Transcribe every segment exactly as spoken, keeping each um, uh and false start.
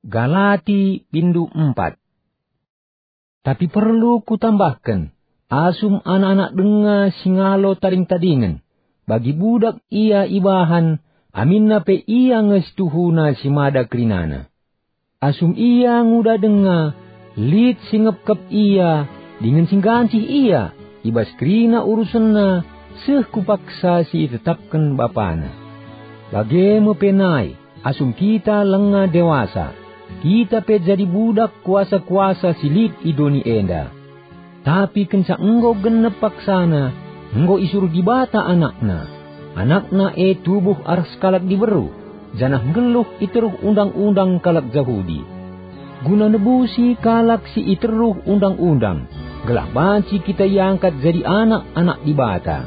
Galati, bindu empat. Tapi perlu kutambahken, asum anak-anak denga si ngalo tading-tadingen, bagi budak ia ibahan, aminna pe ia nge situhuna si mada kerinana. Asum ia nguda denga, lit si ngepkep ia, dingen si nggancih ia, i bas kerina urusenna, seh ku paksa si itetapken bapana. Bage me pe nai, asum kita langa dewasa, kita pe jadi budak kuasa-kuasa si lit i doni enda. Tapi kenca enggo genep paksana, enggo isuruh Dibata AnakNa. AnakNa e tubuh arah sekalak diberu, janah nggeluh i teruh undang-undang kalak Jahudi, guna nebusi kalak si i teruh undang-undang, gelah banci kita iangkat jadi anak-anak Dibata.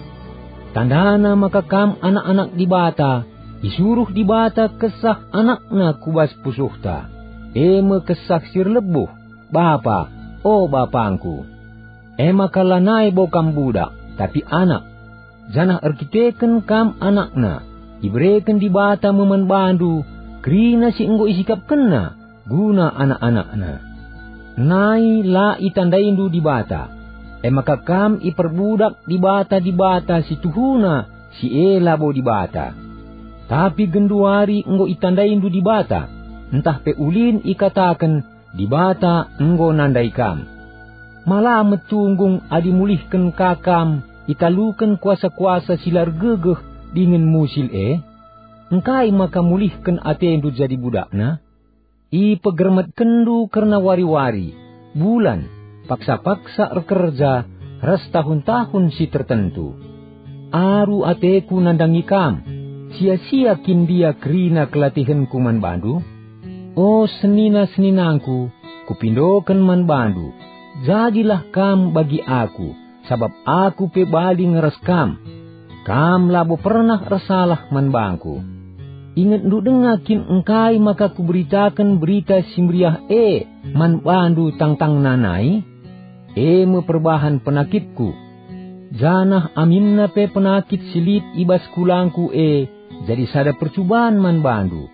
Tandana maka kam anak-anak Dibata, isuruh Dibata Kesah AnakNa ku bas pusuhta, e me Kesah si erlebuh, "Bapa, o BapangKu!" E maka lanai bo kam budak, tapi anak. Janah erkiteken kam anakNa, ibereken Dibata me man bandu kerina si enggo isikapkenNa guna anak-anakNa. Nai la itandaindu Dibata, e maka kam iperbudak dibata-dibata si tuhuna si e labo Dibata. Tapi genduari enggo itandaindu Dibata, ntah pe ulin ikataken, "Dibata enggo nandai kam." Ma la metunggung adi mulihken ka kam italuken kuasa-kuasa si la ergegeh dingen musil e? Engkai maka mulihken atendu jadi budakna? Ipegermetkenndu kerna wari-wari, bulan, paksa-paksa erkerja, ras tahun-tahun si tertentu. Aru ateku nandangi kam, sia-sia kin ndia kerina kelatihenku man bandu? O senina-seninangku, kupindoken man bandu, jadilah kam bagi aku, sabap aku pe bali nge ras kam. Kam labo pernah ersalah man bangku. Ingetndu denga kin engkai maka kuberitaken Berita Si Meriah e man bandu tangtangna nai? E me perbahan penakitku. Janah aminna pe penakit si lit i bas kulangku e jadi sada percuban man bandu.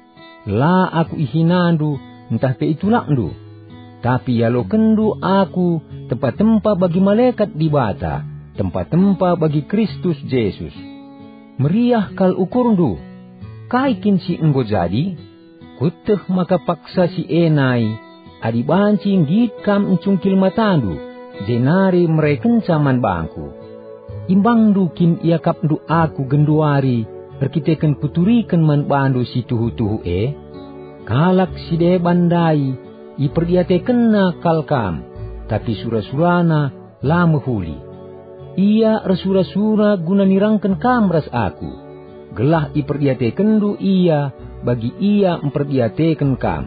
La aku ihinandu ntah pe itulakndu, tapi ialokenndu aku tempa-tempa bagi malekat Dibata, tempa-tempa bagi Kristus Jesus. Meriah kal ukurndu. Kai kin si enggo jadi? Kueteh maka paksa si e nai, adi banci nggit kam ncungkil matandu, jenari merekenca man bangku. Imbangndu kin iakapndu aku genduari erkiteken kuturiken man bandu si tuhu-tuhu e? Kalak si deban ndai iperdiatekenna kal kam, tapi sura-surana la mehuli. Ia ersura-sura guna nirangken kam ras aku, gelah iperdiatekenndu ia bagi ia mperdiateken kam.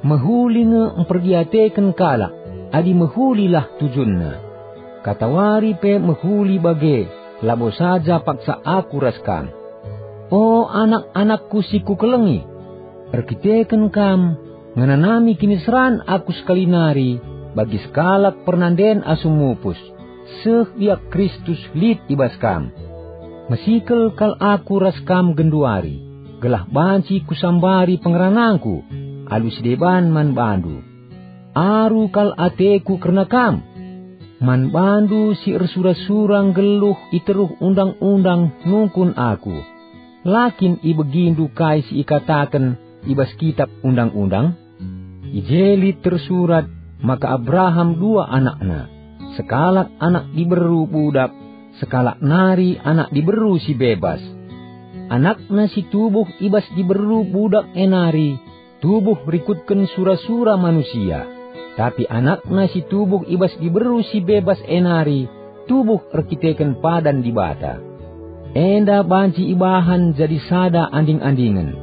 Mehuli nge mperdiateken kalak, adi mehulilah tujunna. Katawari pe mehuli bage, labo saja paksa aku ras kam. O anak-anakku si kukelengi, erkiteken kam, ngenanami kiniseran aku sekali nari bagi sekalak pernanden asum mupus, seh biak Kristus lit i bas kam. Mesikel kal aku ras kam genduari, gelah banci kusambari pengeranangku alu si deban man bandu. Aru kal ateku kerna kam. Man bandu si ersura-sura nggeluh i teruh undang-undang nungkun aku. La kin ibegindu kai si ikataken i bas Kitap Undang-undang? I je lit tersurat maka Abraham dua anakna, sekalak anak diberu budak, sekalak nari anak diberu si bebas. Anakna si tubuh i bas diberu budak e nari tubuh rikutken sura-sura manusia, tapi anakna si tubuh i bas diberu si bebas e nari tubuh erkiteken padan Dibata. Enda banci ibahan jadi sada anding-andingen.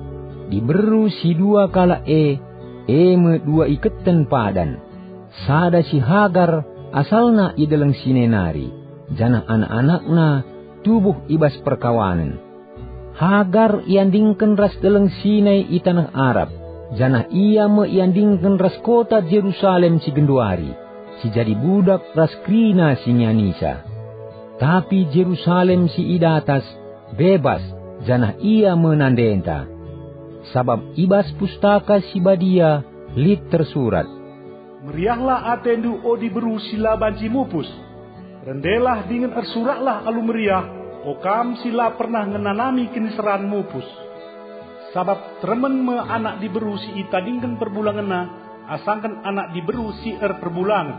Diberu si dua kalak e, e me dua iketen padan. Sada si Hagar, asalna i Deleng Sinai nari, janah anak-anakna tubuh i bas perkawanen. Hagar iandingken ras Deleng Sinai i taneh Arab, janah ia me iandingken ras kota Jerusalem si genduari, si jadi budak ras kerina si ngianisa. Tapi Jerusalem si i datas bebas, janah ia me nandenta. Sabap i bas Pustaka Si Badia Lit tersurat, "Meriahlah atendu, o diberu si la banci mupus. Rendelah dingen ersuraklah alu meriah, o kam si la pernah ngenanami kiniseran mupus. Sabap teremen me anak diberu si itadingken perbulangenna asangken anak diberu si erperbulangen."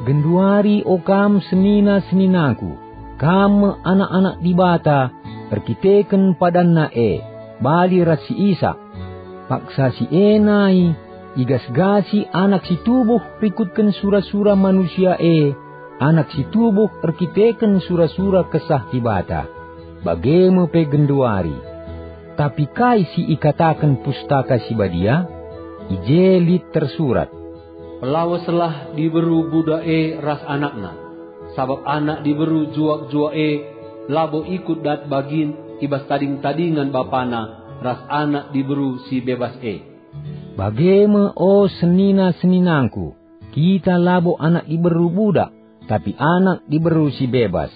Genduari, o kam senina-seninangku, kam me anak-anak Dibata erkiteken padanNa e, bali ras si Isak. Paksa si e nai, igas-gasi anak si tubuh rikutken sura-sura manusia e, anak si tubuh erkiteken sura-sura Kesah Dibata. Bage me pe genduari. Tapi kai si ikataken Pustaka Si Badia? I je lit tersurat, "Pelaweslah diberu budak e ras anakna, sabap anak diberu juak-juak e labo ikut dat bagin i bas tading-tadingen bapana ras anak diberu si bebas e." Bage me, o senina-seninangku, kita labo anak diberu budak, tapi anak diberu si bebas.